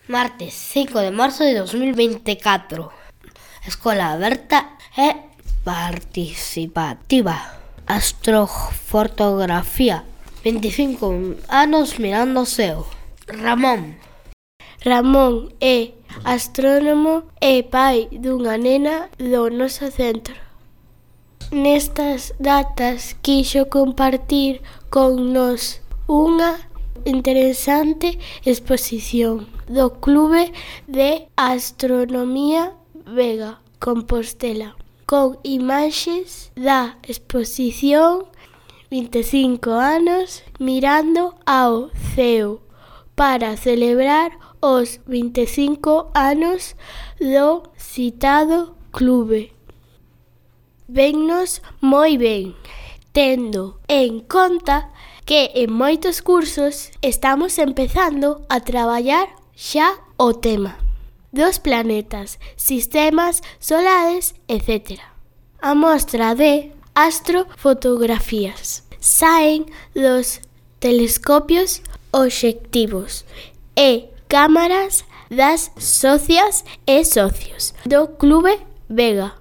Martes 5 de marzo de 2024. Escola aberta e participativa. Astrofotografía. 25 anos mirando o ceo. Ramón é astrónomo e pai dunha nena do noso centro. Nestas datas quixo compartir con nos unha interesante exposición do Clube de Astronomía Vega, Compostela, con imaxes da exposición 25 anos mirando ao ceo para celebrar os 25 anos do citado clube. Vennos moi ben, tendo en conta que en moitos cursos estamos empezando a traballar xa o tema dos planetas, sistemas solares, etc. A mostra de astrofotografías saen dos telescopios obxectivos e cámaras das socias e socios do Clube Vega.